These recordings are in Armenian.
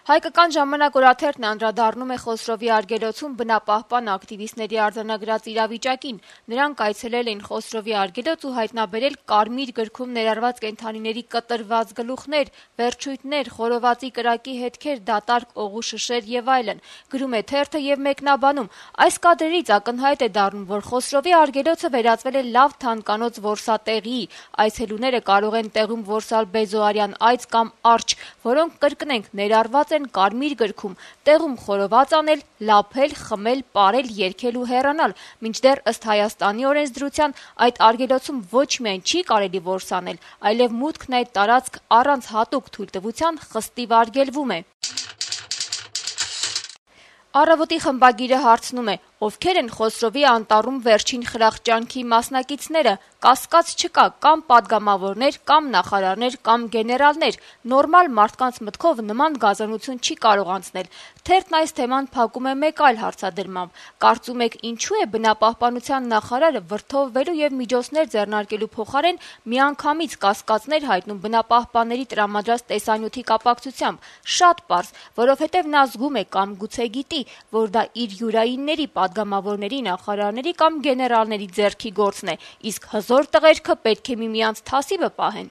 Հայկական ժամանակ օրաթերթն անդրադառնում է Խոսրովի արգելոցում բնապահպան ակտիվիստների արձանագրած իրավիճակին։ Նրանք այցելել են Խոսրովի արգելոց ու հայտնաբերել կարմիր գրքում ներառված կենդանիների կտրված գլուխներ, վերջույթներ, խորովածի կրակի հետքեր, դատարկ օղու շշեր եւ այլն։ Գրում է թերթը եւ մեկնաբանում. այս կադրերից ակնհայտ է դառնում, որ Խոսրովի արգելոցը վերածվել է լավ թանկանոց որսատեղի։ Այցելուները կարող են տեղում որսալ բեզոարյան այծ կամ արջ, որոնք կրկնենք ներառված են կարմիր գրքում, տեղում խորոված անել, լափել, խմել, պարել, երգել ու հեռանալ, մինչդեռ ըստ Հայաստանի օրենսդրության այդ արգելոցում ոչ միայն չի կարելի որսանել, այլև մուտքն այդ տարածք առանց հատուկ թույլտվության խստիվ արգելվում է։ Առավոտի խմբագիրը հարցնում է. ովքեր են Խոսրովի անտառում վերջին խրախճանքի մասնակիցները, կասկած չկա, կամ պատգամավորներ, կամ նախարարներ, կամ գեներալներ, նորմալ մարդկանց մտքով նման գազանություն չի կարող անցնել։ Թերթն այս թեման փակում է մեկ այլ հարցադրմամբ. կարծում եք ինչու է բնապահպանության նախարարը վրդովվելու եւ միջոցներ ձեռնարկելու փոխարեն միանգամից կասկածներ հայտնում բնապահպանների տրամադրած տեսանյութի կապակցությամբ։ Շատ պարզ, որովհետեւ նա զգում է կամ գուցե գիտի, որ դա իր յուրայինների պատգամավորների, նախարարների կամ գեներալների ձեռքի գործն է, իսկ հզոր տղերքը պետք է միմյանց թասիբը պահեն։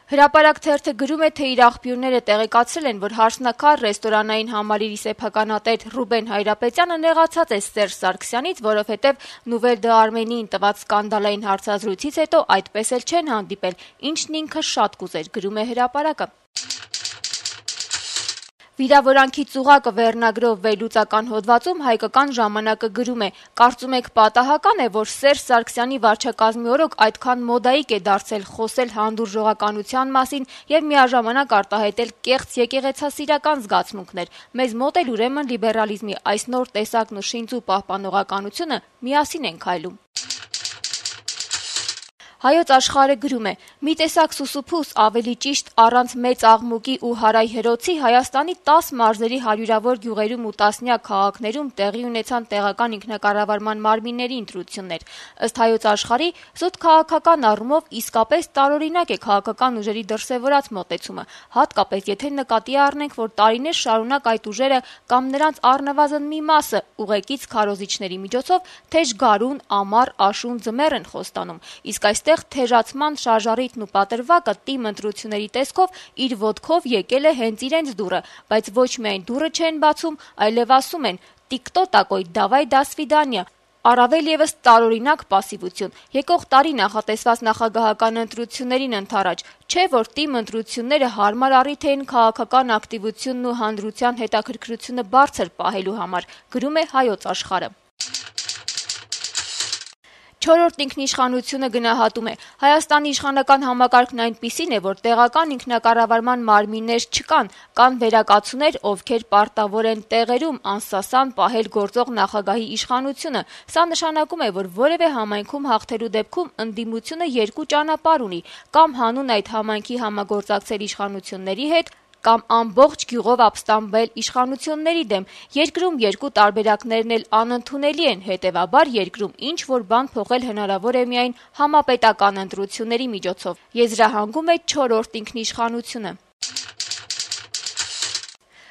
Հրապարակ թերթը գրում է, թե իր աղբյուրները տեղեկացրել են, որ «Հարսնաքար» ռեստորանային համալիրի սեփականատեր Ռուբեն Հայրապետյանը նեղացած է Սերժ Սարգսյանից, որովհետև Nouvelle d'Arménie-ին տված սկանդալային հարցազրույցից հետո այդպես էլ չեն հանդիպել, ինչն ինքը շատ կուզեր, գրում է հրապարակը։ «Վիրավորանքի ծուղակը» վերնագրով վերլուծական հոդվածում Հայկական ժամանակը գրում է. կարծում եք պատահական է, որ Սերժ Սարգսյանի վարչակազմի օրոք այդքան մոդայիկ է դարձել խոսել հանդուրժողականության մասին եւ միաժամանակ արտահայտել կեղծ եկեղեցասիրական զգացմունքներ։ Մեզ մոտ էլ ուրեմն լիբերալիզմի այս նոր տեսակն ու շինծու պահպանողականությունը միասին են քայլում։ Հայոց աշխարհը գրում է. մի տեսակ սուսուփուս, ավելի ճիշտ առանց մեծ աղմուկի ու հարայ հրոցի Հայաստանի 10 մարզերի հարյուրավոր գյուղերում ու տասնյակ քաղաքներում տեղի ունեցան տեղական ինքնակառավարման մարմինների ընտրություններ։ Ըստ Հայոց աշխարհի, զուտ քաղաքական առումով իսկապես տարօրինակ է քաղաքական ուժերի դրսևորած մոտեցումը, հատկապես եթե նկատի առնենք, որ տարիներ շարունակ այդ ուժերը կամ նրանց առնվազն մի մասը ուղեկից քարոզիչների միջոցով թեժ գարուն, ամառ, աշուն, ձմեռ են խոստանում, իսկ այստեղ թեժացման շարժառիթն ու պատրվակը տիմ ընտրությունների տեսքով իր ոտքով եկել է հենց իրենց դուռը, բայց ոչ միայն դուռը չեն բացում, այլև ասում են «Տիկտո տակոյ, դավայ դա սվիդանիա», առավել եւս տարօրինակ պասիվություն։ Եկող տարի նախատեսված նախագահական ընտրություններին ընդառաջ, չէ՞ որ տիմ ընտրությունները հարմար առիթ էին քաղաքական ակտիվությունն ու հանրության հետաքրքրությունը բարձր պահելու համար, գրում է Հայոց աշխարհը։ Չորրորդ ինքնիշխանությունը գնահատում է. Հայաստանի իշխանական համակարգն այնպիսին է, որ տեղական ինքնակառավարման մարմիններ չկան, կան վերակացուներ, ովքեր պարտավոր են տեղերում անսասան պահել գործող նախագահի իշխանությունը։ Սա նշանակում է, որ որևէ համայնքում հաղթելու դեպքում ընդդիմությունը երկու ճանապարհ ունի՝ կամ հանուն այդ համայնքի համագործակցել իշխանությունների հետ, կամ ամբողջ գյուղով ապստամբել իշխանությունների դեմ։ Երկրում երկու տարբերակներն էլ անընդունելի են, հետևաբար երկրում ինչ-որ բան փոխել հնարավոր է միայն համապետական ընտրությունների միջոցով, եզրահանգում է չորրորդ ինքնիշխանությունը։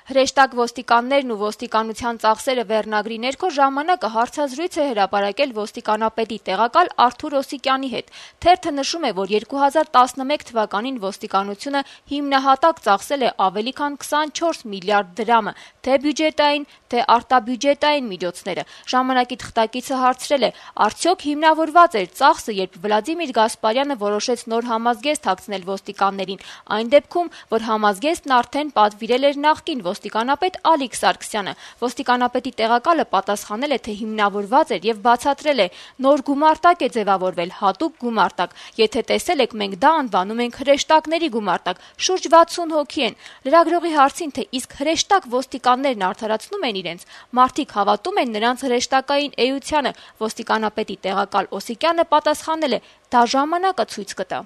Հրեշտակ ոստիկաններն ու ոստիկանության ծախսերը վերնագրի ներքո ժամանակը հարցազրույց է հրապարակել ոստիկանապետի տեղակալ Արթուր Օսիկյանի հետ։ Թերթը նշում է, որ 2011 թվականին ոստիկանությունը հիմնահատակ ծախսել է ավելի քան 24 միլիարդ դրամը, թե բյուջետային, թե արտաբյուջետային միջոցները։ Ժամանակի թղթակիցը հարցրել է. արդյոք հիմնավորված էր ծախսը, երբ Վլադիմիր Գասպարյանը որոշեց նոր համազգեստ հագցնել ոստիկաններին, այն դեպքում, որ համազգեստն արդեն պատվիրել էր նախկին ոստիկանապետ Ալիկ Սարգսյանը։ Ոստիկանապետի տեղակալը պատասխանել է, թե հիմնավորված էր եւ բացատրել է. նոր գումարտակ է ձևավորվել, հատուկ գումարտակ։ Եթե տեսել եք, մենք դա անվանում ենք հրեշտակների գումարտակ, շուրջ 60 հոգի են։ Լրագրողի հարցին, թե իսկ հրեշտակ ոստիկաններն արդարացնում են իրենց, մարդիկ հավատում են նրանց հրեշտակային էությանը, ոստիկանապետի տեղակալ Օսիկյանը պատասխանել է. դա ժամանակը ցույց կտա։